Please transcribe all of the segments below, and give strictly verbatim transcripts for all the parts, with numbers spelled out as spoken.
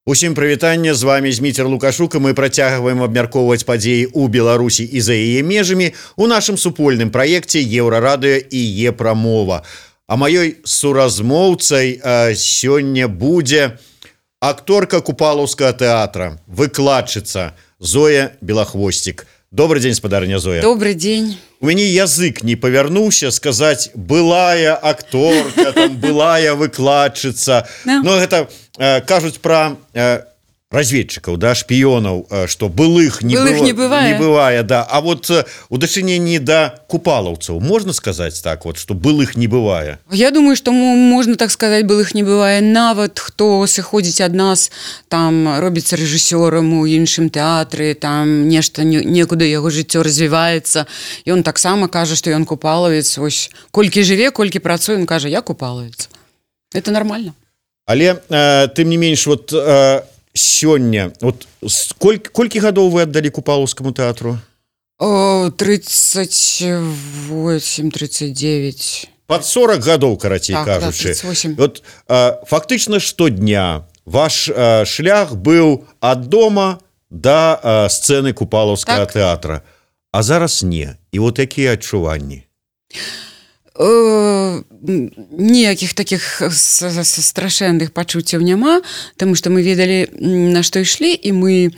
Усім прывітанне, з вами Зміцер Лукашук, і мы працягваем абмяркоўваць падзеі ў Беларусі і за яе межамі у нашым супольным праекце Еўрарадыё і Епрамова. А маёй суразмоўцай э, сёння будзе акторка Купалаўскага тэатра, выкладчыца Зоя Белахвосцік. Добрый день, спадарня Зоя. Добрый день. У мяне язык не павярнуўся сказаць былая акторка, там, былая выкладчыца. No. Но гэта э, кажуць пра э, разведчыкаў, да, шпіёнаў, э, што былых не, былых было, не бывае. Не бывае, да. А вот э, у дачыненні да купалаўцаў можна сказаць так вот, што былых не бывае? Я думаю, што можна так сказаць, былых не бывае. Нават хто сыходзіць ад нас, там робіцца рэжысёрам у іншым тэатры, там нешта некуды яго жыццё развіваецца. Ён таксама кажа, што ён купалавец. Вось колькі жыве, колькі працуе, ён кажа, я купалавец. Это нормально. Але э, тым не менш, вот э, сёння, вот колькі, колькі гадоў вы аддалі Купалаўскаму тэатру? тридцать восемь тридцать девять. Под сорок гадоў, карацей так, кажучы. Да, тридцать восемь. Вот э, фактычна штодня ваш э, шлях быў ад дома да э, сцэны Купалаўскага так. тэатра. А зараз не. І вот якія адчуванні? Ніякіх таких страшэнных пачуццяў няма, таму што мы ведалі, на што ішлі, і мы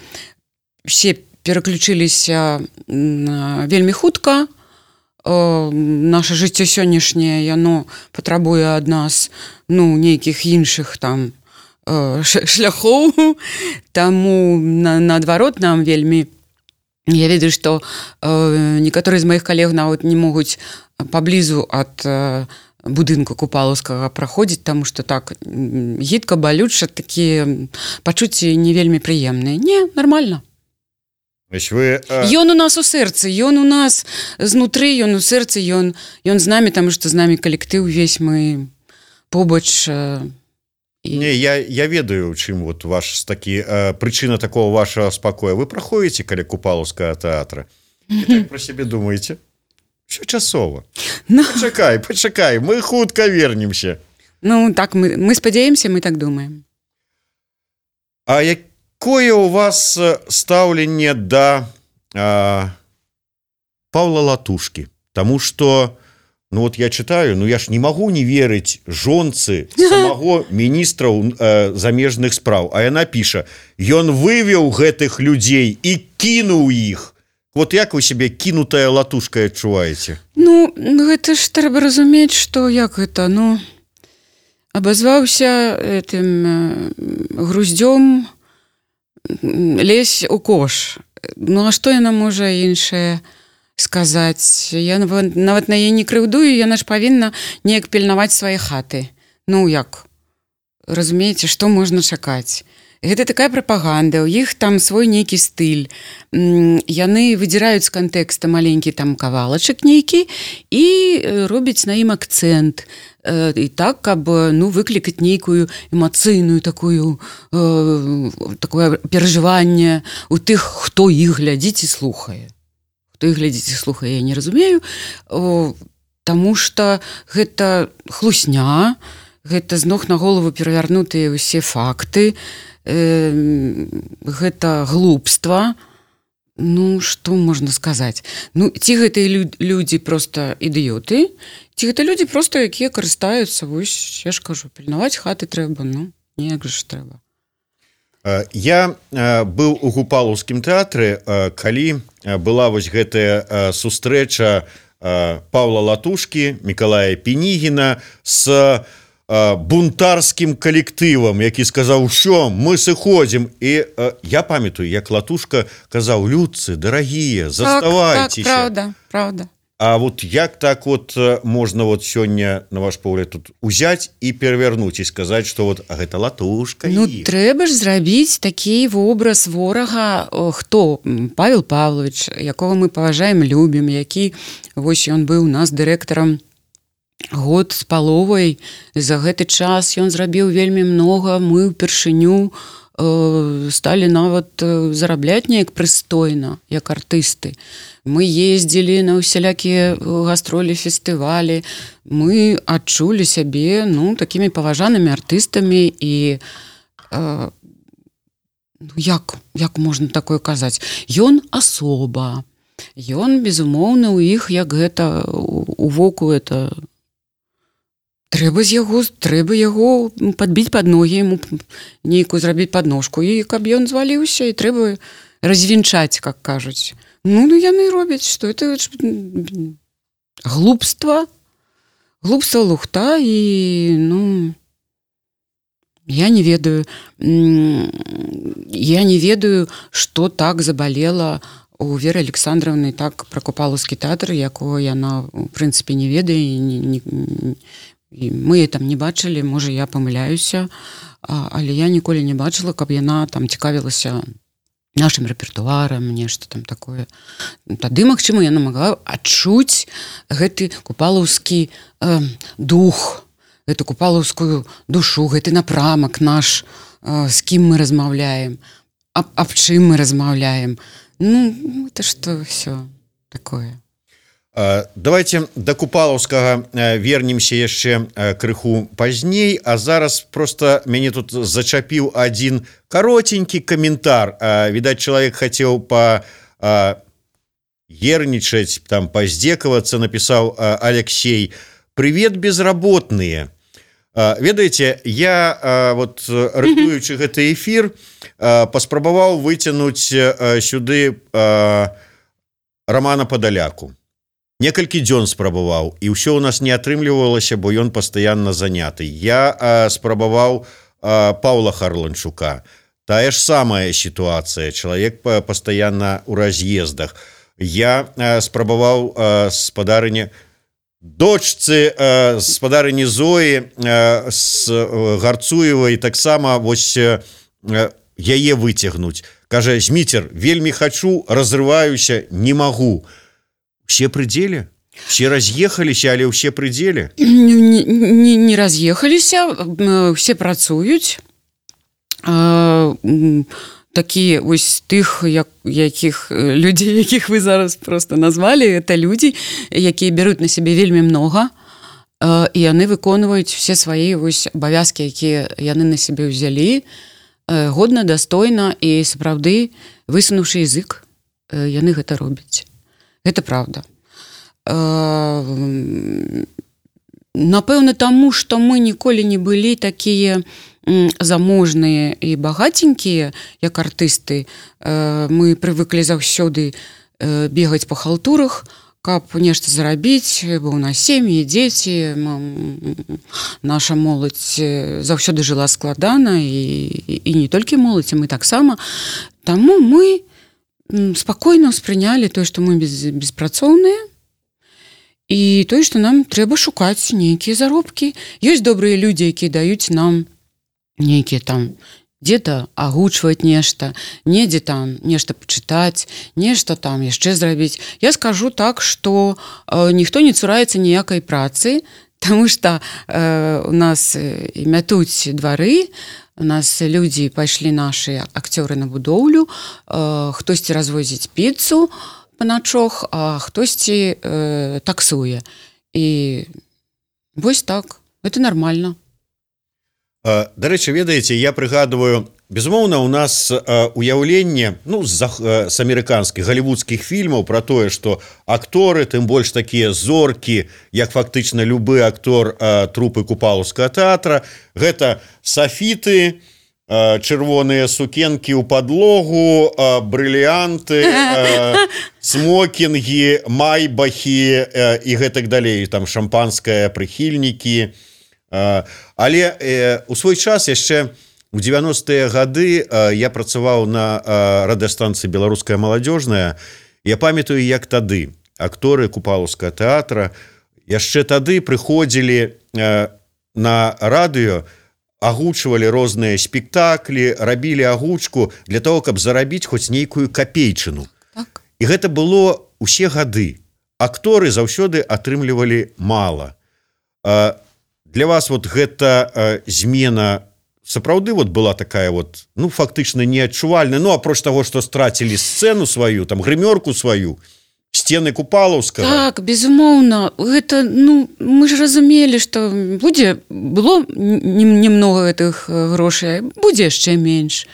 все пераключыліся вельмі хутка. Наша жыццё сённяшняе, яно патрабуе ад нас, ну, нейкіх іншых там шляхоў, таму наадварот нам вельмі. Я ведаю, што некаторыя з маіх калег нават не могуць паблізу ад будынку Купалаўскага праходзіць, таму што так гідка, балюча, такія пачуцці не вельмі прыемныя. Не, нармальна. Вы, а... Ён у нас у сэрцы, ён у нас знутры, ён у сэрцы, ён, ён з намі, таму што з намі калектыў увесь, мы побач. І... Не, я, я ведаю, чым вот ваш такі э, прычына такого вашего спакоя. Вы праходзіце каля Купалаўскага тэатра і так пра сябе думаеце? Всё часова. No. Пачакай, пачакай, мы хутка вернемся. Ну, так, мы, мы спадзяемся, мы так думаем. А якое у вас стаўленне да э, Паўла Латушкі? Таму што ну вот я читаю, ну я ж не могу не верыць жонцы самого міністра э, замежных спраў, а яна піша, ён вывеў гэтых людзей і кінуў іх. Вот як вы себе кінутая латушка адчуваеце? Ну, гэта ж трэба разумець, што як гэта, ну, абазваўся этим э, груздзём лезь у кош. Ну, а што яна можа іншае сказаць? Я нават на яе не крыўдую, яна ж павінна неяк пільнаваць свае хаты. Ну, як? Разумееце, што можна чакаць? Гэта такая прапаганда, у іх там свой нейкі стыль. Яны выдзіраюць з кантэкста маленькі там кавалачак нейкі і робяць на ім акцэнт. І так, каб, ну, выклікаць нейкую эмацыйную такую, э, такое перажыванне у тых, хто іх глядзіць і слухае. Хто іх глядзіць і слухае, я не разумею, о, таму што гэта хлусня, гэта з ног на голову перавярнутыя ўсе факты, э, гэта глупства. Ну, што можна сказаць? Ну, ці гэтыя лю- людзі проста ідыёты, ці гэта людзі проста, якія карыстаюцца, вось, я ж кажу, пільнаваць хаты трэба, ну, неяк жа ж трэба. Я быў у Купалаўскім тэатры, калі была вось гэтая сустрэча Паўла Латушкі, Мікалая Пінігіна з бунтарскім калектывам, які сказаў, що мы сыходзім. І я памятаю, як Латушка казаў, людцы, дарагія, заставайцеся. Так, так, правда, правда. А вот як так вот можна вот сёння, на ваш погляд, тут узяць і перавярнуць і сказаць, што вот а гэта Латушка. Ну, трэба ж зрабіць такі вобраз ворага, хто? Павел Павлович, якога мы паважаем, любім, які, вось ён быў у нас дырэктарам год з паловай. За гэты час ён зрабіў вельмі многа, мы ўпершыню э, сталі нават зарабляць неяк прыстойна, як артысты. Мы ездзілі на ўсялякія гастролі, фестывалі, мы адчулі сябе, ну, такімі паважанымі артыстамі і э, як, як можна такое казаць? Ён асоба. Ён, безумоўна, у іх, як гэта, у воку это... Трэба з яго, трэба яго падбіць пад ногі, яму нейкую зрабіць падножку, і каб ён зваліўся, і трэба развінчаць, как кажуць. Ну, ну яны робяць, што это глупства, глупства лухта, і, ну, я не ведаю, я не ведаю, што так забалела у Веры Александровны так пра Купалаўскі тэатр, якого яна, в прынцыпе, не ведае, і не, не, і мы там не бачылі, можа, я памыляюся, але я ніколі не бачыла, каб яна там цікавілася нашым рэпертуарам, нешта там такое. Тады, магчыма, яна магла адчуць гэты купалаўскі э, дух, гэту купалаўскую душу, гэты напрамак наш, э, з кім мы размаўляем, аб, аб чым мы размаўляем. Ну, это что все такое. Давайте до Купалаўскага вернемся яшчэ крыху пазней, а зараз просто мяне тут зачапіў один каротенькі каментар. Відаць, чалавек хацеў па ернічаць, там паздзекавацца, напісаў Алексей: «Привет, безработные». Ведаеце, я, вот, рыхтуючы гэты эфір, паспрабаваў выцянуць сюды Рамана Падаляку. Некалькі дзён спрабаваў, і ўсё ў нас не атрымлівалася, бо ён пастаянна заняты. Я спрабаваў Паўла Харланчука. Тая ж самая сітуацыя. Чалавек пастаянна ў раз'ездах. Я спрабаваў спадарыне дочцы э, спадарыні Зоі э, з Гарцуевай таксама вось э, яе выцягнуць. Кажа: «Зміцер, вельмі хачу, разрываюся, не магу». Все прыдзеле? Все раз'ехаліся, але ўсе прыдзеле? Не, не, не раз'ехаліся, все працуюць. Такія вось тых, як, якіх людзей, якіх вы зараз просто назвалі, это людзі, якія бяруць на сябе вельмі многа, і яны выконваюць все свае вось абавязкі, якія яны на сябе ўзялі, годна, дастойна, і сапраўды, высунуўшы язык, яны гэта робяць. Гэта правда. Напэўна, таму, што мы ніколі не былі такія заможныя і багатенькія, як артысты. Мы прывыклі заўсёды бегаць па халтурах, каб нешта зарабіць, бо ў нас сем'і, дзеці, наша моладзь заўсёды жыла складана, і, і не толькі моладзь, а мы таксама. Таму мы спакойна ўспрынялі тое, што мы без, беспрацоўныя, і тое, што нам трэба шукаць нейкія заробкі. Ёсць добрыя людзі, якія даюць нам нейкія там дзе-то агучваць нешта, недзе там нешта пачытаць, нешта там яшчэ зрабіць. Я скажу так, што э, ніхто не цураецца ніякай працы, таму што э, у нас і мятуць двары, у нас людзі пайшлі нашы акцёры на будоўлю, э, хтосьці развозіць піцу па начох, а хтосьці э, таксуе. І вось так, это нормально. Дарэчы, ведаеце, я прыгадываю, безумоўна, у нас уяўленне, ну, з, з амерыканскіх галівудскіх фільмаў пра тое, што акторы, тым больш такія зоркі, як фактычна любы актор трупы Купалаўскага тэатра, гэта сафіты, чырвоныя сукенкі ў падлогу, брыліянты, смокінгі, майбахі і гэтак далей, там шампанскае, прыхільнікі. Але э, у свой час яшчэ у дзевяностыя гады э, я працаваў на э, радыёстанцыі «Беларуская маладзёжная». Я памятаю, як тады акторы Купалаўскага тэатра яшчэ тады прыходзілі э, на радыё, агучвалі розныя спектаклі, рабілі агучку для того, каб зарабіць хоць нейкую капейчыну. Так. І гэта было ўсе гады. Акторы заўсёды атрымлівалі мала. Э, Для вас вот гэта э, змена сапраўды вот была такая вот, ну, фактычна неадчувальная, ну, апроч таго, што страцілі сцэну сваю, там, грымёрку сваю, сцены Купалаўскага. Так, безумоўна, гэта, ну, мы ж разумелі, што будзе, было немного гэтых грошай, будзе яшчэ менш.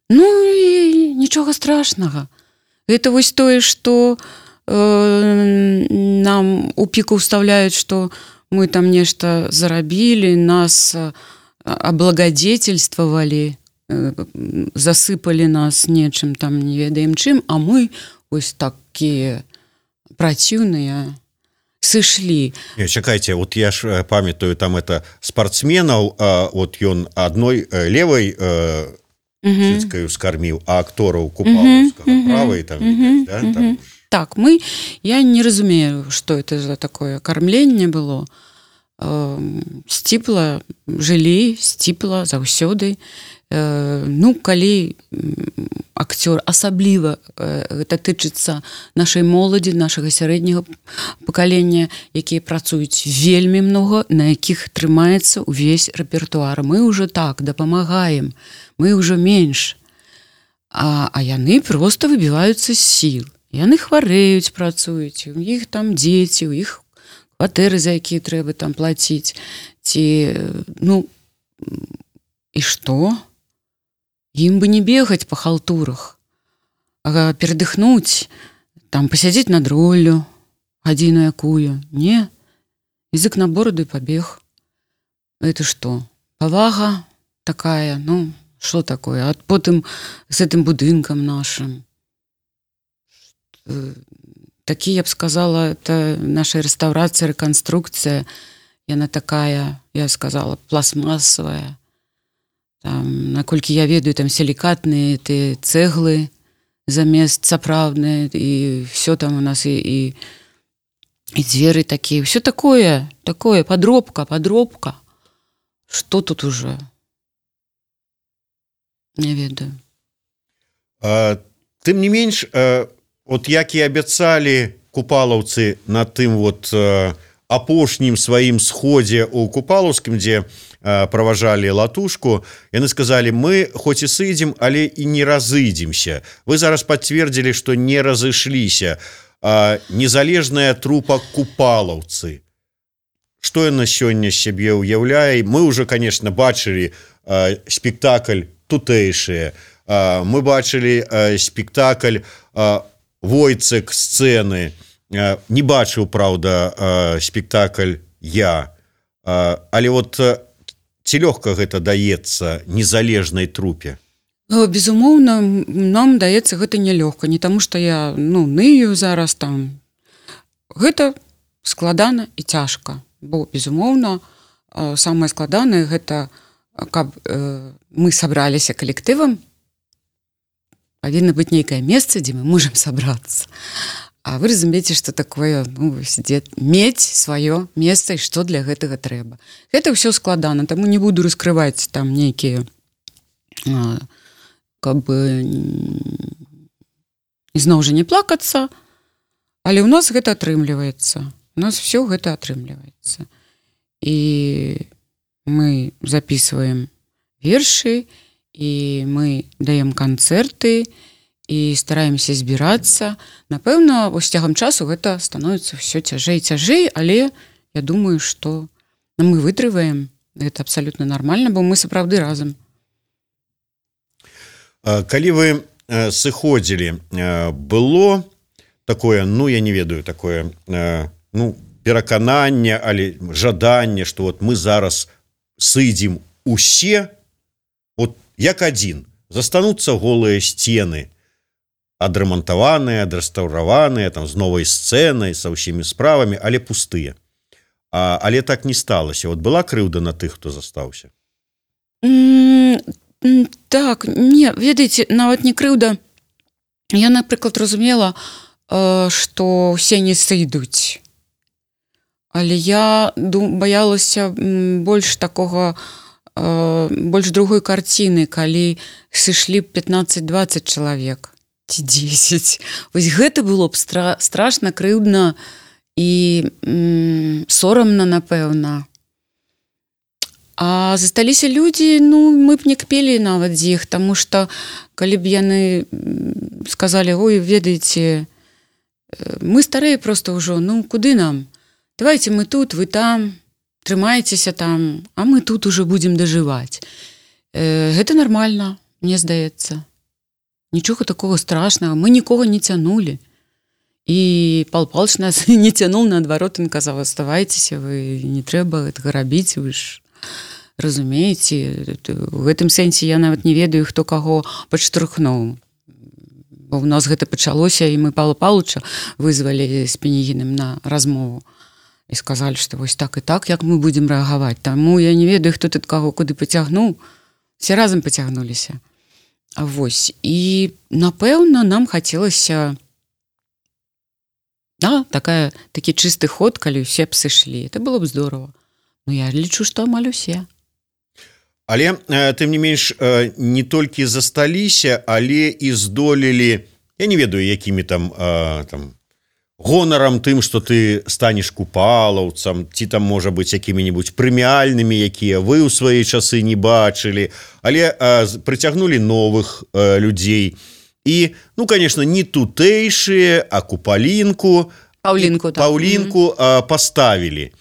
Ну і нічога страшнага. Гэта вось тое, што э, нам у піку ўстаўляюць, што мы там нешта зарабілі, нас аблагадзетельствавалі, засыпалі нас нечым там не ведаем чым, а мы вось такія праціўныя сышлі. Не, чакайце, вот я ж памятаю там это спортсменаў, а, вот ён адной левой э, цыцкаю скарміў, а актораў купалаўскага правай там, відаць, да, там. Так, мы, я не разумею, што это за такое кармленне было. Сціпла жылі, сціпла заўсёды. Ну, калі акцёр, асабліва гэта тычыцца нашай моладзі, нашага сярэдняга пакалення, якія працуюць вельмі многа, на якіх трымаецца ўвесь рэпертуар. Мы ўжо так дапамагаем, мы ўжо менш. А, а яны проста выбіваюцца з сіл. Яны хварэюць, працуюць, у іх там дзеці, у іх кватэры, за якія трэба там плаціць. Ці, ну, і што? Ім бы не бегаць па халтурах, а перадыхнуць, там пасядзець над роллю, гадзіну якую. Не, язык на бороду і пабег. Это што? Павага такая, ну, што такое? А потым з гэтым будынкам нашым. Такі, я б сказала, это наша рэстаўрацыя, рэканструкцыя, яна такая, я сказала, пластмасавая. Там, наколькі я ведаю, там сілікатныя ты цэглы замест сапраўдныя, і все там у нас, і, і, і дзверы такія, все такое, такое, падробка, падробка. Што тут уже? Не ведаю. А, тым не менш, а, от як і абяцалі купалаўцы на тым вот а, апошнім сваім сходзе ў Купалаўскім, дзе праважалі латушку, яны сказалі, мы хоць і сыдзем, але і не разыдземся. Вы зараз пацвердзілі, што не разышліся. Незалежная трупа купалаўцы. Што яна сёння сябе ўяўляе? Мы ўжо, конечно, бачылі спектакль тутэйшыя. Мы бачылі спектакль Войцек сцэны. Не бачыў, праўда, спектакль я. Але вот ці лёгка гэта даецца незалежнай трупе? Безумоўна, нам даецца гэта нялёгка, не таму што я, ну, ную зараз там. Гэта складана і цяжка, бо, безумоўна, самае складанае гэта, каб э, мы сабраліся калектывам, павінна быць нейкае месца, дзе мы можам сабрацца. А вы разумееце, што такое, ну, мець сваё месца і што для гэтага трэба. Гэта ўсё складана, таму не буду раскрываць там нейкія, каб бы ізноў жа не плакацца, але ў нас гэта атрымліваецца. У нас все гэта атрымліваецца. І мы записываем вершы, і мы даем канцэрты, і стараемся збірацца. Напэўна, вось цягам часу гэта становіцца ўсё цяжэй і цяжэй, але я думаю, што мы вытрываем. Гэта абсалютна нармальна, бо мы сапраўды разам. Калі вы сыходзілі, было такое, ну, я не ведаю, такое, ну, перакананне, але жаданне, што вот мы зараз сыдзем усе, вот як адзін, застануцца голыя сцены, адрамантаваныя, адрэстаўраваныя, там, з новай сцэнай, са ўсімі справамі, але пустыя. А, але так не сталася. Вот была крыўда на тых, хто застаўся? Mm, так, не, ведаеце, нават не крыўда. Я, напрыклад, разумела, э, што ўсе не сыдуць. Але я дум, баялася больш такога, э, больш другой карціны, калі сышлі пятнаццаць-дваццаць чалавек. Ці дзесяць. Вось гэта было б стра- страшна, крыўдна і м- сорамна, напэўна. А засталіся людзі, ну, мы б не кпелі нават з іх, таму што калі б яны сказалі, ой, ведаеце, мы старыя проста ўжо, ну, куды нам? Давайте мы тут, вы там, трымайцеся там, а мы тут ужо будзем дажываць. Э, гэта нармальна, мне здаецца. нічога такого страшнага, мы нікога не цянулі. І Павел Павлович нас не цянуў, наадварот, ён казаў, аставайцеся, вы не трэба гэтага рабіць, вы ж разумееце. У гэтым сэнсе я нават не ведаю, хто каго падштурхнуў. Бо ў нас гэта пачалося, і мы Павла Павловича вызвалі з Пенігіным на размову. І сказалі, што вось так і так, як мы будзем рэагаваць. Таму я не ведаю, хто тут каго куды пацягнуў. Все разам пацягнуліся. Вось. І, напэўна, нам хацелася да, такая, такі чысты ход, калі ўсе б сышлі. Это было б здорово. Ну, я лічу, што амаль усе. Але, тым не менш, не толькі засталіся, але і здолелі, я не ведаю, якімі там, там гонарам тым, што ты станеш купалаўцам, ці там, можа быць, якімі-небудзь прэміальнымі, якія вы ў свае часы не бачылі, але прыцягнулі новых людзей. І, ну, конечно, не тутэйшыя, а купалінку, Паўлінку, так. Паўлінку mm-hmm. поставілі.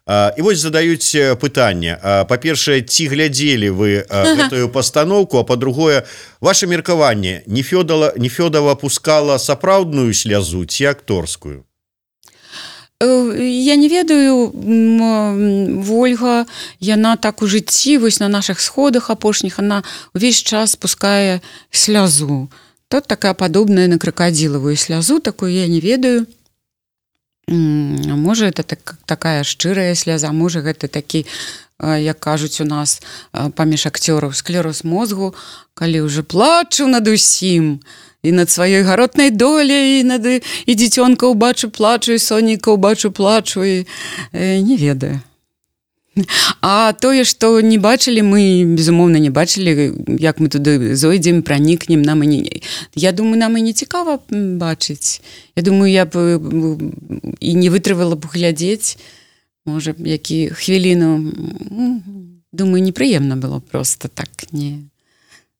І вось задаюць пытанне. Па-першае, ці глядзелі вы гэтую пастаноўку, а па-другое, ваше меркаванне, Нефёдова пускала сапраўдную слязу ці акторскую? Я не ведаю, Вольга, яна так у жыцці, вось на наших сходах апошніх, она увесь час пускае слязу. Тут такая падобная на кракадзілавую слязу, такую я не ведаю. Можа, это так, такая шчырая сляза, можа, гэта такі, як кажуць у нас паміж акцёраў, склероз мозгу, калі ўжо плачу над усім, і над сваёй гаротнай доляй, і над і дзіцёнка ўбачу плачу, і сонейка ўбачу плачу, і э, не ведаю. А тое, што не бачылі, мы, безумоўна, не бачылі, як мы туды зойдзем, пранікнем, нам і не... Я думаю, нам і не цікава бачыць. Я думаю, я б і не вытрывала б глядзець, можа, які хвіліну. Думаю, непрыемна было просто так. Не...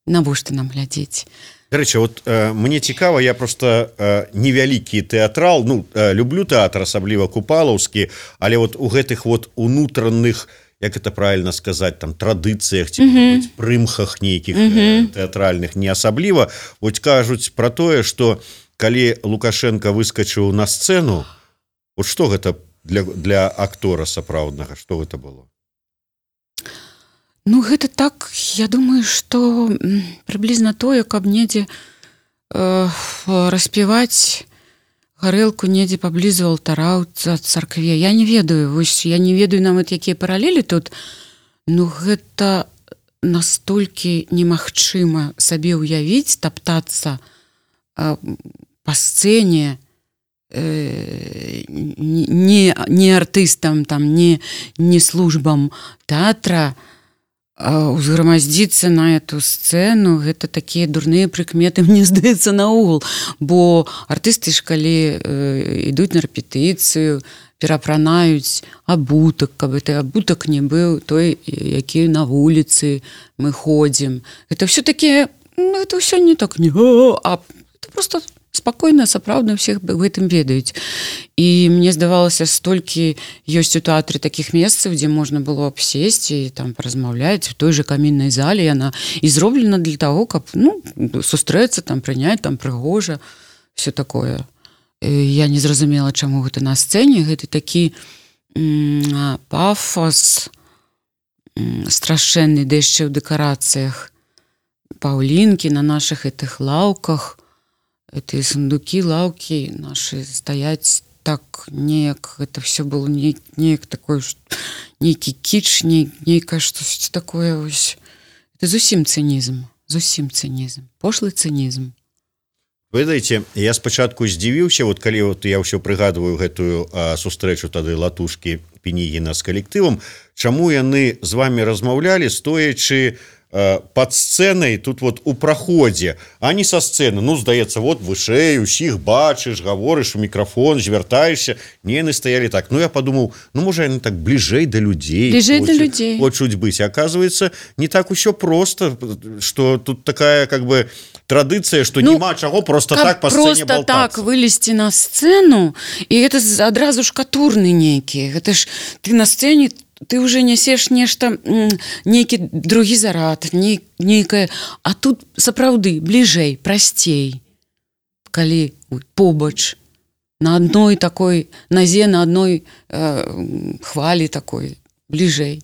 Навошта нам глядзець? Дарэчы, вот э, мне цікава, я просто э, невялікі тэатрал, ну, э, люблю тэатр, асабліва купалаўскі, але вот у гэтых вот унутраных, як это правильно сказаць, там, традыцыях, ці, mm-hmm. прымхах нейкіх mm-hmm. э, тэатральных не асабліва, вот кажуць про тое, што калі Лукашенко выскачыў на сцэну, вот што гэта для, для актора сапраўднага, што гэта было? Ну, гэта так, я думаю, што прыблізна тое, каб недзе э, распіваць гарэлку недзе паблізу алтара ў царкве. Я не ведаю, вось, я не ведаю нават, якія паралелі тут, ну, гэта настолькі немагчыма сабе ўявіць, таптацца э, па сцэне, э, не, не артыстам, там, не, не службам тэатра, узграмаздзіцца на эту сцэну, гэта такія дурныя прыкметы, мне здаецца, наогул, бо артысты ж калі э, ідуць на рэпетыцыю, перапранаюць абутак, каб гэты абутак не быў той, які на вуліцы мы ходзім. Гэта ўсё такі, ну, гэта ўсё не так, не, а это просто спакойна, сапраўдна ўсіх гэтым ведаюць. І мне здавалася, столькі ёсць у тэатры такіх месцаў, дзе можна было б сесці і там паразмаўляць у той жа каміннай зале, яна і зроблена для таго, каб, ну, сустрэцца, там, прыняць, там, прыгожа, все такое. Я не зразумела, чаму гэта на сцэне, гэта такі м- пафос м- страшэнны, да яшчэ ў дэкарацыях Паўлінкі на нашых гэтых лаўках, эти сундукі, лаўкі нашы стаяць так неяк, это все было не, неяк такое, нейкі кіч, не, нейкае штось такое ось. Это зусім цынізм, зусім цынізм, пошлы цынізм. Вы ведаеце, я спачатку здзівіўся, вот калі вот я ўсё прыгадваю гэтую а, сустрэчу тады Латушкі Пенігіна з калектывам, чаму яны з вами размаўлялі, стоячы под сцэнай тут вот у праходзе, а не са сцэны. Ну, здаецца, вот вышэй, усіх бачыш, гаворыш у мікрафон, звяртаешся. Не, яны стаялі так. Ну, я подумаў, ну, можа, яны так бліжэй да людзей. Бліжэй да людзей. Хочуць быць. Оказывается, не так усё просто, што тут такая, как бы, традыцыя, што ну, няма чаго просто так па сцэне болтацца. Просто так вылезці на сцэну, і гэта адразу ж катурны нейкі. Гэта ж ты на сцэне ты уже нясеш нешта, нейкі другі зарад, нейкае, а тут сапраўды бліжэй, прасцей, калі побач на адной такой назе, на адной э, хвалі такой, бліжэй.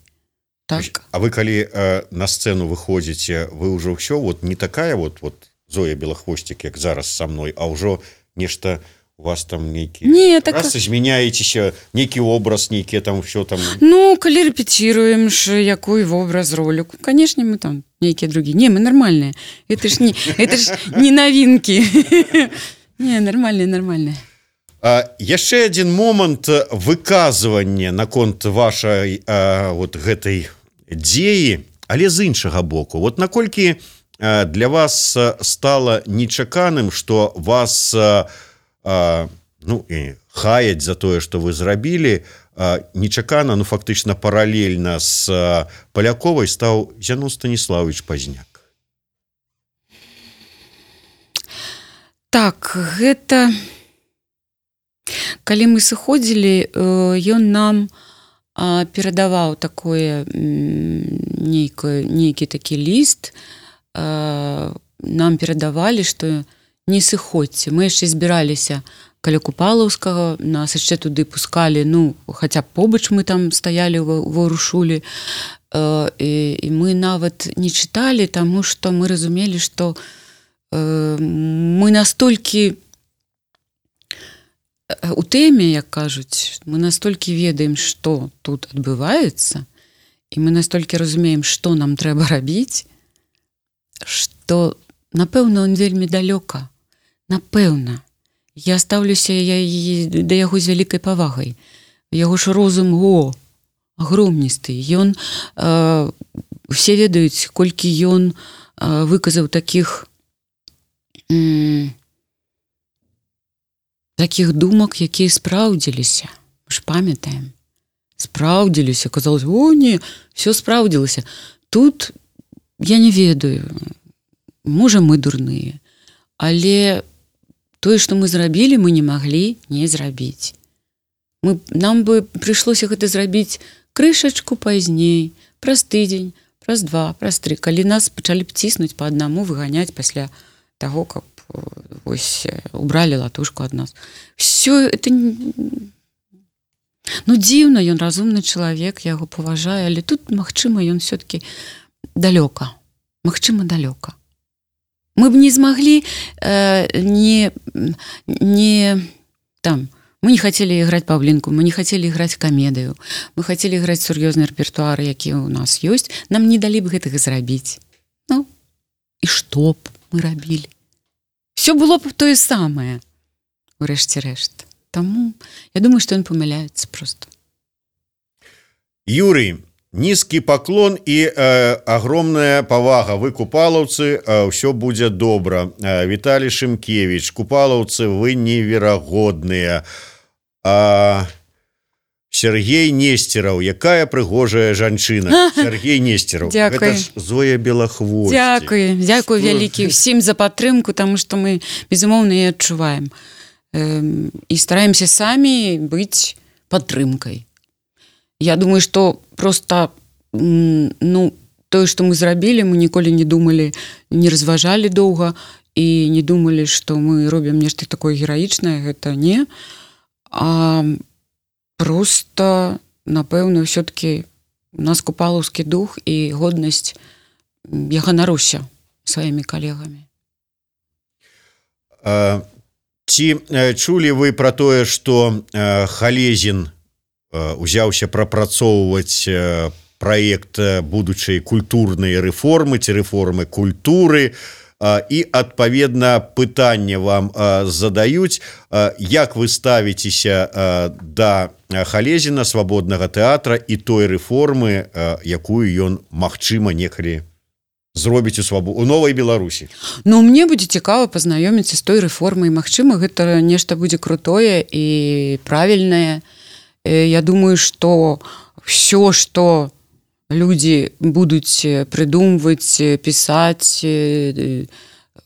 Так. А вы калі э, на сцэну выходзіце, вы ўжо ўсё вот не такая вот, вот Зоя Белахвосцік, як зараз са мной, а ўжо нешта у вас там нейкі не, так... раз змяняецеся, нейкі образ, нейкі там ўсё там. Ну, калі рэпеціруем ж якой вобраз, ролю, канешне, мы там нейкія другие. Не, мы нормальныя. Это ж не, это ж не новинки. Не, нормальные, нормальные. А, яшчэ адзін момант выказвання наконт вашай а, вот гэтай дзеі, але з іншага боку. Вот наколькі а, для вас стала нечаканым, што вас а, а, ну, хаяць за тое, што вы зрабілі, а, нечакана, ну фактычна паралельна з а, Паляковай стаў Зянон Станіславович Пазняк. Так, гэта... Калі мы сыходзілі, ён нам перадаваў такое нейкі, нейкі такі ліст, нам перадавалі, што не сыходзьце. Мы яшчэ збіраліся каля Купалаўскага, нас яшчэ туды пускалі, ну, хаця побач мы там стаялі ва Рушулі, і, і мы нават не чыталі, таму што мы разумелі, што мы настолькі у тэме, як кажуць, мы настолькі ведаем, што тут адбываецца, і мы настолькі разумеем, што нам трэба рабіць, што, напэўна, он вельмі далёка. Напэўна. Я стаўлюся я, да яго з вялікай павагай. Яго ж розум, о, агромністы. Ён, э, усе ведаюць, колькі ён э, выказаў такіх м- таких думак, якія спраўдзіліся. Мы ж памятаем. Спраўдзіліся. Казалось, о, не, все спраўдзілася. Тут я не ведаю. Можа, мы дурныя. Але тое, што мы зрабілі, мы не маглі не зрабіць. Мы, нам бы прыйшлося гэта зрабіць крышачку пазней, праз тыдзень, праз два, праз тры. Калі нас пачалі б ціснуць па аднаму, выганяць пасля таго, каб вось убралі латушку ад нас. Все это... Ну, дзіўна, ён разумны чалавек, я яго паважаю, але тут, магчыма, ён все-таки далёка. Магчыма, далёка. Мы б не змаглі э, не, не там, мы не хотели играть Павлинку, мы не хотели играть камедыю, мы хотели играть сур'ёзны рэпертуар, які у нас ёсць, нам не далі б гэтага зрабіць. Ну, і што б мы рабілі? Все было б тое самае, урэшце рэшт. Таму я думаю, што ён памыляецца просто. Юрий, нізкі паклон і э, агромная павага. Вы купалаўцы, э, ўсё будзе добра. Э, Віталій Шымкевіч, купалаўцы, вы неверагодныя. А Сергей Нестераў, якая прыгожая жанчына. Сергей Нестераў. Дзякуй. Гэта ж Зоя Белахвосцік. Дзякуй, дзякуй вялікі ўсім за падтрымку, таму што мы, безумоўна, і адчуваем. Эм, і стараемся самі быць падтрымкай. Я думаю, што проста, ну, тое, што мы зрабілі, мы ніколі не думалі, не разважалі доўга і не думалі, што мы робім нешта такое гераічнае, гэта не. А просто, напэўна, ўсё-таки у нас купалаўскі дух і годнасць, я ганаруся сваімі калегамі. А, ці чулі вы пра тое, што а, Халезін а, узяўся прапрацоўваць а, праект будучай культурнай рэформы ці рэформы культуры, і адпаведна пытанне вам задаюць, як вы ставіцеся да Халезіна, свабоднага тэатра і той рэформы, якую ён магчыма некалі зробіць у свабо... у новай Беларусі. Ну, мне будзе цікава пазнаёміцца з той рэформай, магчыма, гэта нешта будзе крутое і правільнае. Я думаю, што ўсё, што людзі будуць прыдумваць, пісаць,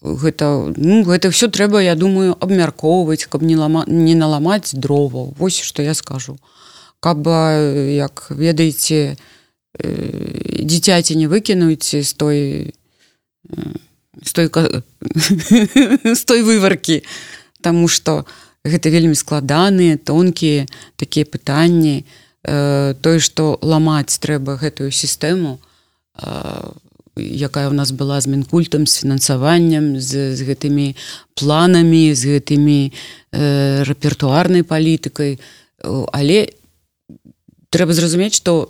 гэта, ну, гэта ўсё трэба, я думаю, абмяркоўваць, каб не, лама, не наламаць дроваў. Вось што я скажу. каб, як ведаеце, дзіцяці не выкінуць з той з той, з той вываркі, таму што гэта вельмі складаныя, тонкія такія пытанні. Тое, што ламаць трэба гэтую сістэму, якая ў нас была з Мінкультам, з фінансаваннем, з, з гэтымі планамі, з гэтымі э, рэпертуарнай палітыкай. Але трэба зразумець, што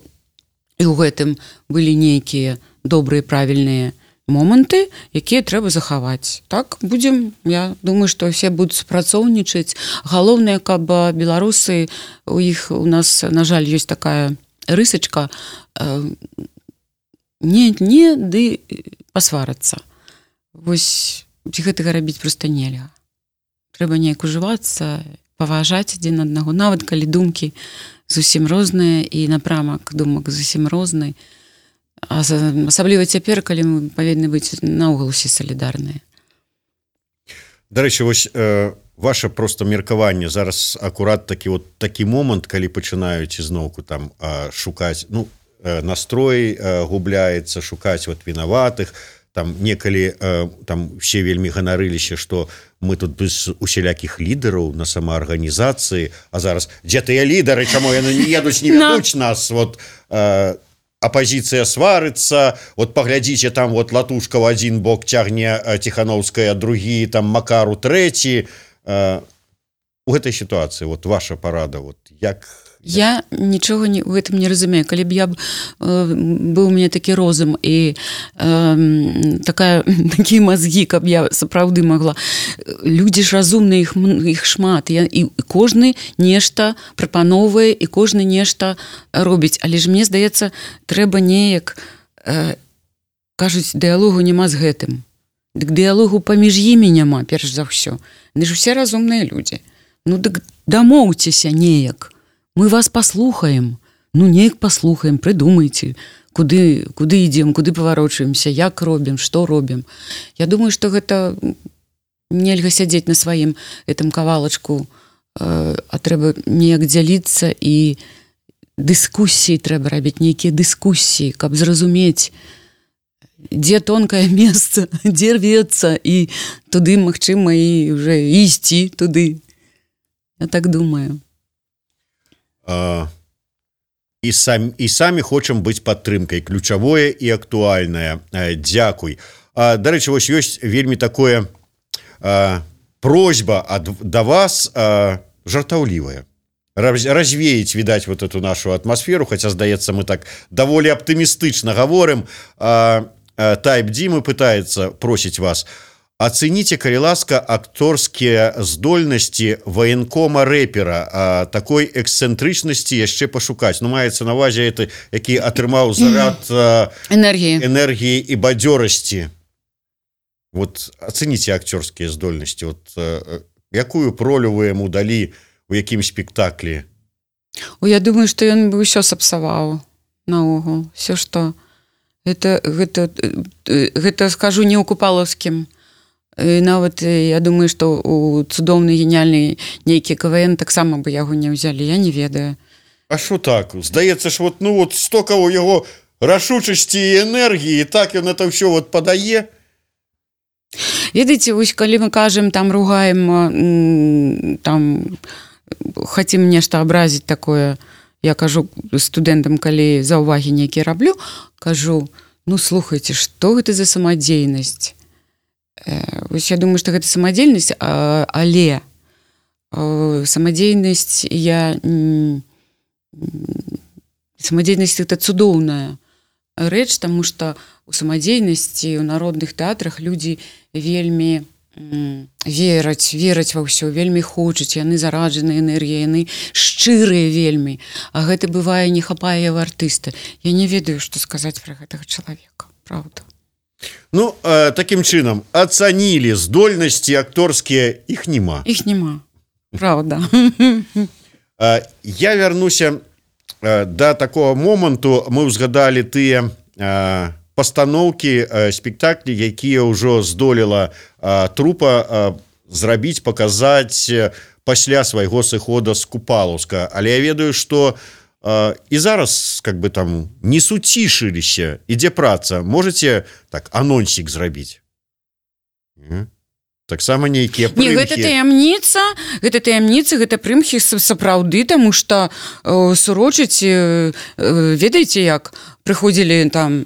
і ў гэтым былі нейкія добрыя, правільныя моманты, якія трэба захаваць. Так, будзем, я думаю, што все будуць супрацоўнічаць. Галоўнае, каб беларусы, у іх, у нас, на жаль, ёсць такая рысачка, э, не, не, ды пасварацца. Вось гэтага рабіць проста нельга. Трэба неяк ужывацца, паважаць адзін аднаго, нават калі думкі зусім розныя і напрамак думак зусім розны. Асабліва цяпер, калі мы павінны быць наогул усе салідарныя. Дарэчы, вось э, ваше проста меркаванне зараз акурат такі вот такі момант, калі пачынаюць ізноўку там э, шукаць, ну, э, настрой э, губляецца, шукаць вот вінаватых, там некалі э, там все вельмі ганарыліся, што мы тут без усялякіх лідараў на самаарганізацыі, а зараз дзе тыя лідары, чаму яны не едуць, не вядуць нас, вот э, апозіцыя сварыцца, вот паглядзіце, там вот Латушка в один бок цягне Ціхановская, другі, там Макару трэці. Э, у гэтай сітуацыі вот ваша парада, вот як... Я нічога не, у гэтым не разумею. Калі б я б, э, быў у мяне такі розум і э, такая, такія мазгі, каб я сапраўды магла. Людзі ж разумныя, іх, іх шмат. Я, і кожны нешта прапановвае, і кожны нешта робіць. Але ж мне здаецца, трэба неяк, э, кажуць, дыялогу няма з гэтым. Дык дыялогу паміж імі няма, перш за ўсё. Яны ж усе разумныя людзі. Ну, дык дамоўцеся неяк. Мы вас паслухаем, ну неяк паслухаем, прыдумайце, куды, куды ідзем, куды паварочваемся, як робім, што робім. Я думаю, што гэта нельга сядзець на сваім гэтым кавалачку, э, а трэба неяк дзяліцца і дыскусіі трэба рабіць, нейкія дыскусіі, каб зразумець, дзе тонкае месца, дзе рвецца, і туды, магчыма, і ўжо ісці туды. Я так думаю. Uh, і, сам, і самі хочам быць падтрымкай, ключавое і актуальнае. Uh, дзякуй. Uh, дарэчы, вось ёсць вельмі такое uh, просьба ад, да вас uh, жартаўлівая. Раз, развеять, відаць, вот эту нашу атмасферу, хаця, здаецца, мы так даволі аптымістычна гаворым. Uh, uh, Тайп Димы пытаецца, просіць вас, ацэніце, калі ласка, акторскія здольнасці ваенкома рэпера, а такой эксцэнтрычнасці яшчэ пашукаць. Ну, маецца на ўвазе это, які атрымаў зарад энергіі, энергіі і бадзёрасці. Вот ацэніце акцёрскія здольнасці. Вот якую ролю вы яму далі у якім спектаклі? О, я думаю, што ён бы ўсё сапсаваў наогул. Все, што гэта, гэта, гэта скажу не ў купалаўскім. І нават я думаю, што у цудоўны, геніальны нейкі КВН таксама бы яго не ўзялі, я не ведаю. А што так? Здаецца ж, вот, ну вот стока ў яго рашучасці і энергіі, так ён это ўсё вот падае. Ведаеце, вось калі мы кажам, там ругаем, там хацім нешта абразіць такое, я кажу студэнтам, калі заўвагі нейкія раблю, кажу, ну слухайце, што гэта за самадзейнасць? Вось я думаю, што гэта самадзейнасць, але самадзейнасць я самадзейнасць это цудоўная рэч, таму што у самадзейнасці, у народных тэатрах людзі вельмі вераць, вераць ва ўсё, вельмі хочуць, яны зараджаныя энергіяй, яны шчырыя вельмі, а гэта бывае не хапае ў артыста. Я не ведаю, што сказаць пра гэтага чалавека, правда. Ну, э, такім чынам, ацанілі здольнасці акторскія, іх няма. Іх няма, правда. Э, я вярнуся э, да такого моманту, мы ўзгадалі тыя э, пастаноўкі, э, спектаклі, якія ўжо здолела э, трупа э, зрабіць, паказаць э, пасля свайго сыхода з Купалаўска. Але я ведаю, што і зараз как бы там не суцішыліся, ідзе праца, можете так анонсік зрабіць? Таксама нейкія прымхі. Не, гэта таямніца, гэта таямніца, гэта прымхі сапраўды, таму што э, сурочыць, э, ведаеце як, прыходзілі там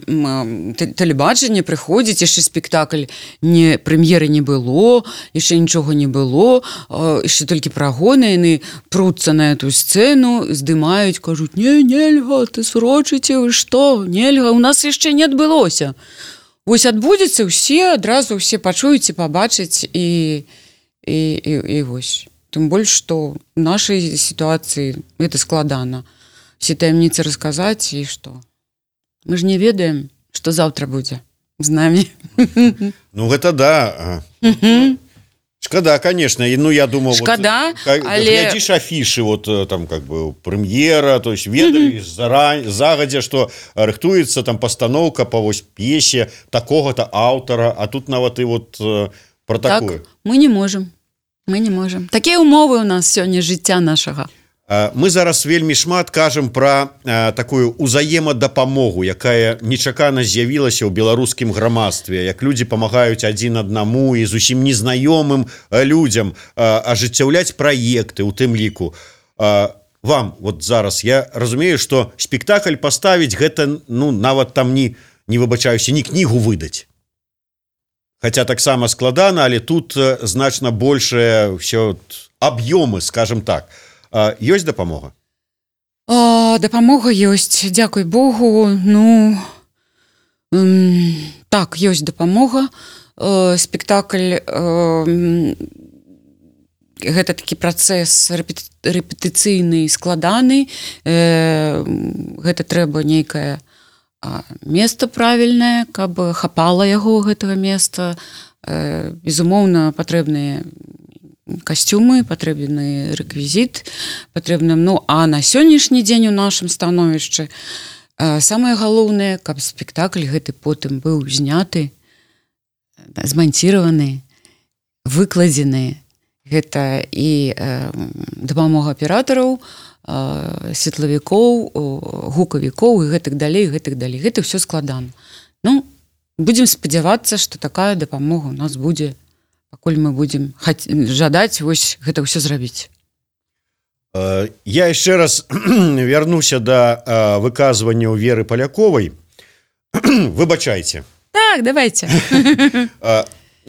тэлебачанне, прыходзіць, яшчэ спектакль, не, прэм'еры не было, яшчэ нічога не было, э, яшчэ толькі прагоны, яны пруцца на эту сцэну, здымаюць, кажуць, не, нельга, ты сурочыце, вы што, нельга, у нас яшчэ не адбылося. Вось адбудзецца, усе адразу ўсе пачуюць і пабачаць і, і, і, і вось. Тым больш, што ў нашай сітуацыі гэта складана. Все таямніцы расказаць і што. Мы ж не ведаем, што заўтра будзе з намі. Ну гэта да. Шкада, конечно, ну я думал, Шкада, вот, але... глядишь афиши, вот там как бы премьера, то есть ведали mm-hmm. загодя, что рыхтуется там постановка по вось пьесе такого-то автора, а тут нават и вот э, про так, такое. Мы не можем, мы не можем. Такие умовы у нас сёння жыцця нашага. Мы зараз вельмі шмат кажам пра а, такую узаемадапамогу, якая нечакана з'явілася ў беларускім грамадстве, як людзі памагаюць адзін аднаму і зусім незнаёмым людзям а, ажыццяўляць праекты у тым ліку. А, вам вот зараз я разумею, што спектакль паставіць гэта ну нават там не не выбачаюся, ні кнігу выдаць. Хаця таксама складана, але тут значна большае ўсё аб'ёмы, скажем так. А, ёсць дапамога? О, дапамога ёсць, дзякуй Богу. Ну, м, так, ёсць дапамога. Э, спектакль, э, гэта такі працэс рэпети, рэпетыцыйны, складаны. Э, гэта трэба нейкае а, месца правільнае, каб хапала яго гэтага месца. Э, безумоўна, патрэбныя касцюмы, патрэбны рэквізіт, патрэбны, ну, а на сённяшні дзень у нашым становішчы э, самае галоўнае, каб спектакль гэты потым быў зняты, зманціраваны, выкладзены. Гэта і э, дапамога аператараў, э, светлавікоў, гукавікоў і гэтак далей, гэтак далей. Гэта ўсё складана. Ну, будзем спадзявацца, што такая дапамога у нас будзе, пакуль мы будзем жадаць вось гэта ўсё зрабіць. Я яшчэ раз вярнуся да выказвання Веры Поляковай. Выбачайце. Так, давайте.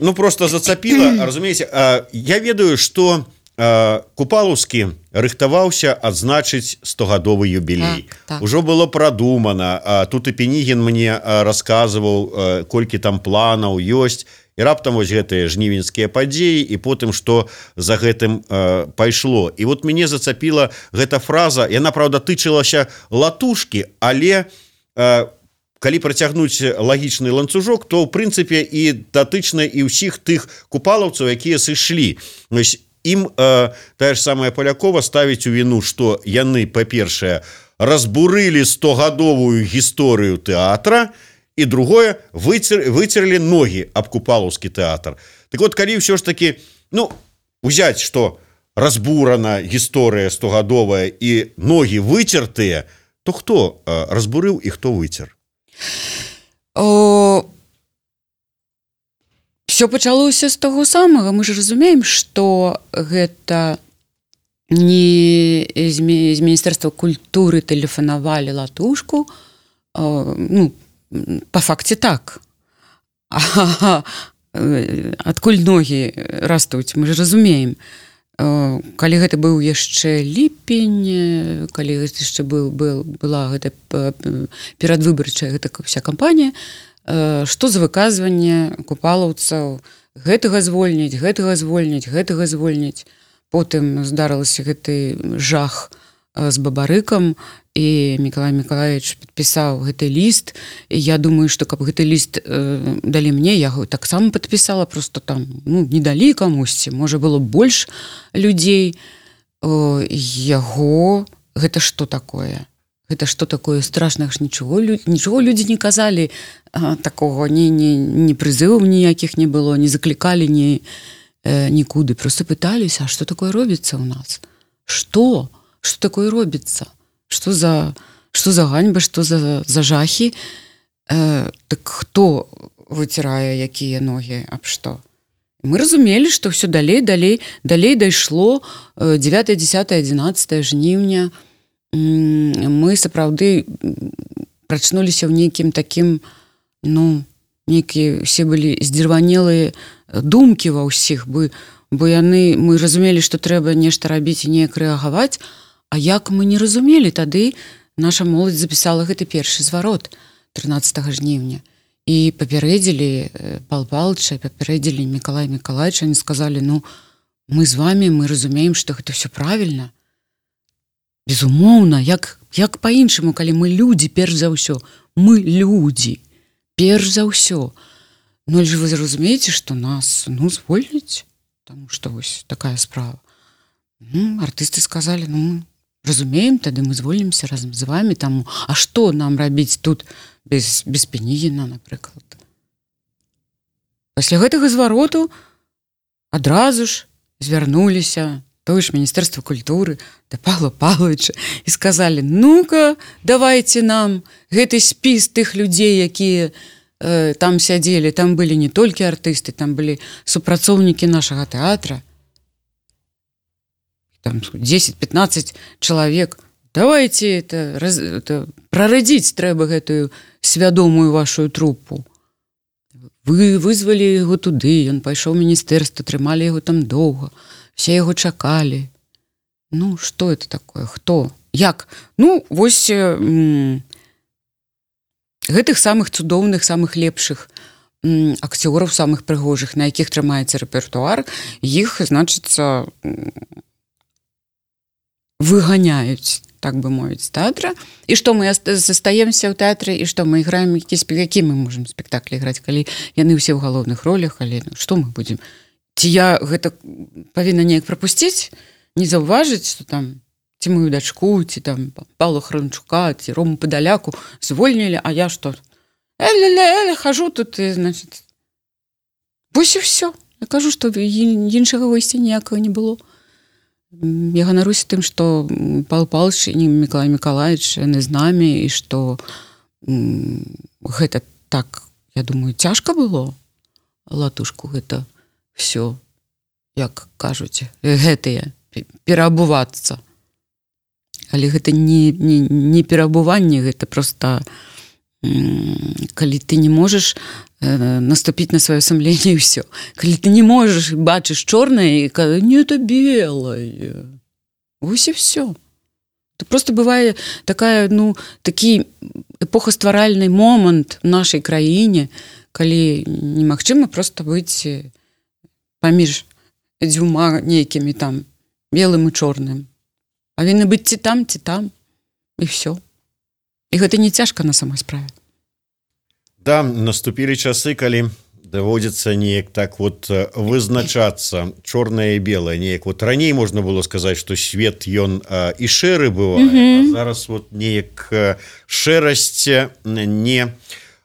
Ну, просто зацапіла, разумееце, я ведаю, што Купалаўскі рыхтаваўся адзначыць стогадовы юбілей. Так, так. Ужо было прадумана. Тут і Пенігін мне расказваў, колькі там планаў ёсць. І раптам вось гэтыя жнівеньскія падзеі, і потым, што за гэтым э, пайшло. І вот мяне зацапіла гэта фраза, яна, праўда, тычылася латушкі, але э, калі працягнуць лагічны ланцужок, то, ў прынцыпе, і датычна і ўсіх тых купалаўцаў, якія сышлі. Вось ім э, тая ж самая Полякова ставіць у віну, што яны, па-першае, разбурылі стогадовую гісторыю тэатра, і другое, выцер, выцерлі ногі аб Купалаўскі тэатр. Так вот, калі ўсё ж такі, ну, узяць, што разбурана гісторыя стогадовая і ногі выцертыя, то хто э, разбурыў і хто выцер? О... Всё пачалося з таго самага. Мы ж разумеем, што гэта не з Міністэрства культуры тэлефанавалі латушку, э, ну, по факце так. А, адкуль ногі растуць, мы ж разумеем. Калі гэта быў яшчэ ліпень, калі яшчэ был, был, была гэта перадвыбарчая гэта вся кампанія, што за выказванне купалаўцаў гэтага звольніць, гэтага звольніць, гэтага звольніць. Потым здарылася гэты жах з бабарыкам, і Мікалай Мікалаевич падпісаў гэты ліст. І я думаю, што каб гэты ліст э, далі мне, я яго таксама падпісала, просто там ну, не далі камусьці, можа было больш людзей. О, яго гэта што такое? Гэта што такое страшнага ж нічого, нічого людзі не казалі а, такого, ні, ні, ні прызываў ніякіх не было, не заклікалі ні, э, нікуды. Просто пыталіся, а што такое робіцца ў нас? Што? Што такое робіцца? что за что за ганьба, что за, за жахі, э, так хто выцірае якія ногі аб што? Мы разумелі, што ўсё далей, далей, далей дайшло дзевятае, дзесятае, адзінаццатае жніўня. Мы сапраўды прачнуліся ў нейкім такім, ну, нейкія все былі здзірванелыя думкі ва ўсіх, бо, бо яны, мы разумелі, што трэба нешта рабіць і неяк рэагаваць, а як мы не разумелі, тады наша моладзь запісала гэты першы зварот трынаццатага жніўня. І папярэдзілі Пал Палыча, папярэдзілі Мікалая Мікалайча, они сказалі, ну, мы з вами, мы разумеем, што гэта все правільна. Безумоўна, як, як па-іншаму, калі мы людзі, перш за ўсё, мы людзі, перш за ўсё. Ну, але ж вы разумееце, што нас, ну, звольняць, таму што вось такая справа. Ну, артысты сказалі, ну, разумеем, тады мы звольнімся разам з вами, таму, а што нам рабіць тут без, без Пенігіна, напрыклад. Пасля гэтага звароту адразу ж звярнуліся тое ж Міністэрства культуры да Павла Павловича і сказалі, ну-ка, давайте нам гэты спіс тых людзей, якія э, там сядзелі, там былі не толькі артысты, там былі супрацоўнікі нашага тэатра, там десять-пятнадцать человек. Давайте это, раз, это прарадзіць трэба гэтую свядомую вашу трупу. Вы вызвалі яго туды, ён пайшоў у міністэрства, трымалі яго там доўга, все яго чакалі. Ну, што это такое? Хто? Як? Ну, вось м- гэтых самых цудоўных, самых лепшых м- акцёраў, самых прыгожых, на якіх трымаецца рэпертуар, іх, значыцца, выганяюць, так бы мовіць, з тэатра. І што мы застаемся ў тэатры, і што мы іграем, які, які мы можам спектаклі іграць, калі яны ўсе ў галоўных ролях, але ну, што мы будзем? Ці я гэта павінна неяк прапусціць, не заўважыць, што там ці мою дачку, ці там Павла Хранчука, ці Рому Падаляку звольнілі, а я што? Эле-ле-ле, хожу тут, і, значит, вось і ўсё. Я кажу, што іншага выйсця ніякага не было. Я ганаруся тым, што Павел Павлович і Мікалай Мікалайч яны з намі, і што м, гэта так, я думаю, цяжка было латушку гэта все, як кажуць, гэтыя пераабувацца. Але гэта не, не, не пераабуванне, гэта проста калі ты не можаш э, наступіць на сваё сумленне і ўсё. Калі ты не можаш бачыш чорнае і кажа, не, это белое. Вось і ўсё. Это просто бывае такая, ну, такі эпохастваральны момант в нашай краіне, калі немагчыма проста быць паміж дзвюма нейкімі там белым і чорным. Павінны быць ці там, ці там, і ўсё. І гэта не цяжка на самой справе. Да, наступілі часы, калі даводзіцца неяк так вот вызначацца чорнае і белае. Неяк вот раней можна было сказаць, што свет ён а, і шэры бывае, mm-hmm. а зараз вот неяк шэрасць не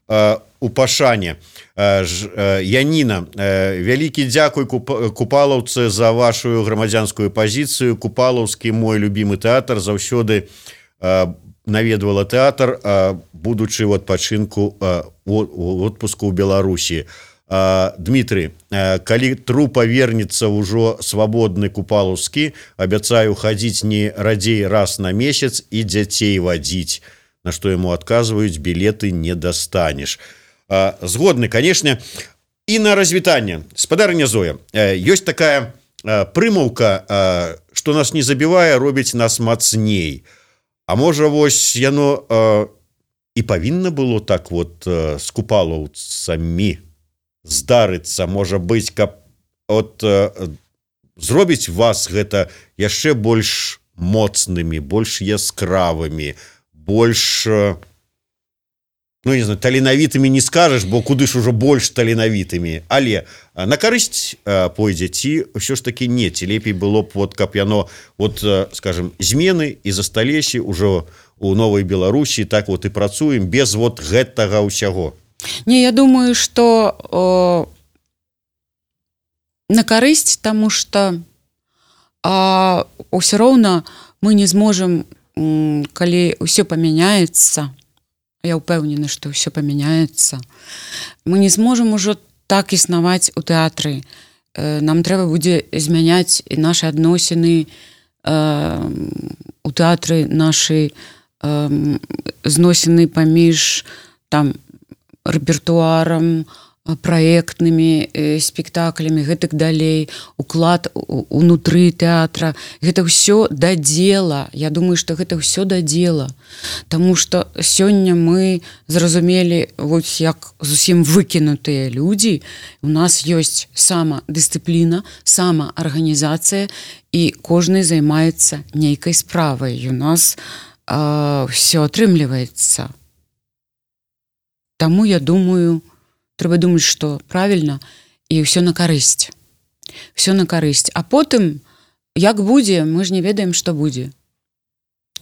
а, у пашане. А, ж, а, Яніна, а, вялікі дзякуй куп, купалаўцы за вашу грамадзянскую пазіцыю. Купалаўскі мой любімы тэатр заўсёды а, наведвала тэатр, будучы ў адпачынку у отпуску ў Беларусі. Дмітрый, калі трупа вернецца ўжо свабодны купалаўскі, абяцаю хадзіць не радзей раз на месяц і дзяцей вадзіць, на што яму адказваюць, білеты не дастанеш. Згодны, канешне. І на развітанне. Спадарыня Зоя, ёсць такая прымаўка, што нас не забівае, робіць нас мацней. А можа, вось яно э, і павінна было так вот э, з купалаўцамі здарыцца, можа быць, каб от, э, зробіць вас гэта яшчэ больш моцнымі, больш яскравымі, больш, э, ну, не знаю, таленавітымі не скажаш, бо куды ж ужо больш таленавітымі, але на карысць э, пойдзе, ці ўсё ж такі не, ці лепей было б, вот, каб яно, вот, э, скажем, змены і засталіся ўжо у Новай Беларусі, так вот і працуем без вот гэтага ўсяго. Не, я думаю, што о, на карысць, таму што а, ўсё роўна мы не зможам калі ўсё памяняецца, я ўпэўнена, што ўсё памяняецца, мы не зможам ужо так існаваць у тэатры. Нам трэба будзе змяняць і нашы адносіны у тэатры, нашы зносіны паміж там рэпертуарам, праектнымі спектаклямі, гэтак далей, уклад унутры тэатра. Гэта ўсё да дзела. Я думаю, што гэта ўсё да дзела. Таму што сёння мы зразумелі, вось як зусім выкінутыя людзі, у нас ёсць самадысцыпліна, самаарганізацыя, і кожны займаецца нейкай справай. У нас а, ўсё атрымліваецца. Таму я думаю, трэба думаць, што правільна, і ўсё на карысць. Ўсё на карысць. А потым, як будзе, мы ж не ведаем, што будзе.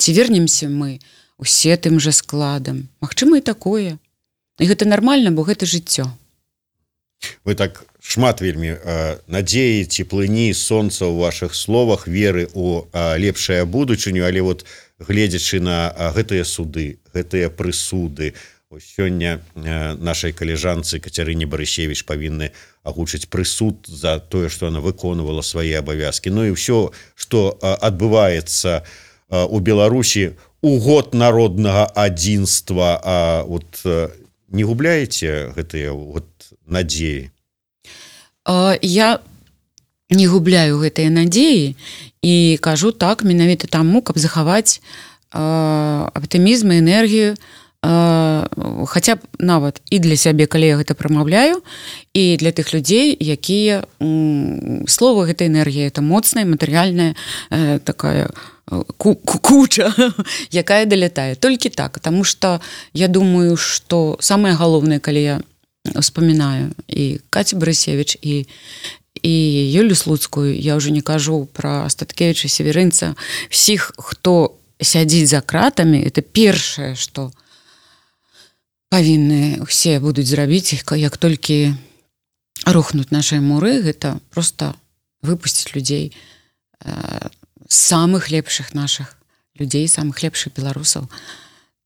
Ці вернемся мы усе тым жа складам. Магчыма, і такое. І гэта нармальна, бо гэта жыццё. Вы так шмат вельмі э, надзеі, цеплыні, сонца ў вашых словах, веры ў э, лепшае будучыню, але вот гледзячы на э, гэтыя суды, гэтыя прысуды, сёння нашай калежанцы Кацярыне Барысевіч павінны агучыць прысуд за тое, што она выконвала свае абавязкі. Ну і ўсё, што адбываецца у Беларусі у год народнага адзінства, а вот не губляеце гэтыя вот надзеі? Я не губляю гэтыя надзеі і кажу так менавіта таму, каб захаваць аптымізм і энергію, хаця б нават і для сябе, калі я гэта прамаўляю, і для тых людзей, якія слова гэта энергія, это моцная матэрыяльная такая куча, якая далятае. Толькі так, таму што я думаю, што самае галоўнае, калі я успамінаю і Кацю Барысевіч, і і Юлю Слуцкую, я ўжо не кажу пра Астаткевіча, Северынца, всіх, хто сядзіць за кратамі, это першае, што павінны ўсе будуць зрабіць, як толькі рухнуць нашыя муры, гэта проста выпусціць людзей, самых лепшых нашых людзей, самых лепшых беларусаў,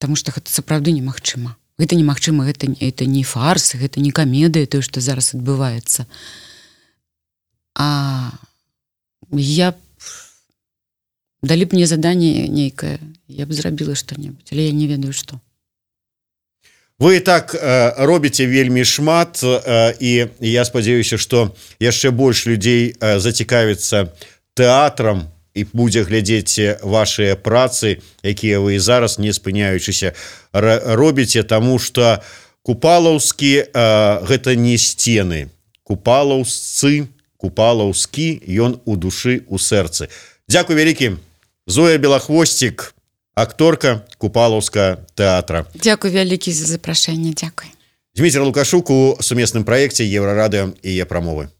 таму што гэта сапраўды немагчыма. Гэта немагчыма, гэта, гэта не фарс, гэта не камедыя, тое, што зараз адбываецца. А я б... далі б мне заданне нейкае, я б зрабіла што-небудзь, але я не ведаю, што. Вы так э, робіце вельмі шмат, э, і я спадзяюся, што яшчэ больш людзей э, зацікавіцца тэатрам і будзе глядзець вашыя працы, якія вы і зараз, не спыняючыся, робіце, таму што купалаўскі э, гэта не сцены. Купалаўсцы, купалаўскі, ён у душы, у сэрцы. Дзякуй вялікі. Зоя Белахвосцік, акторка Купалаўскага тэатра. Дзякуй вялікі за запрашэнне, дзякуй. Дзміцер Лукашук у сумесным праекце Еўрарадыё і Е-прамовы.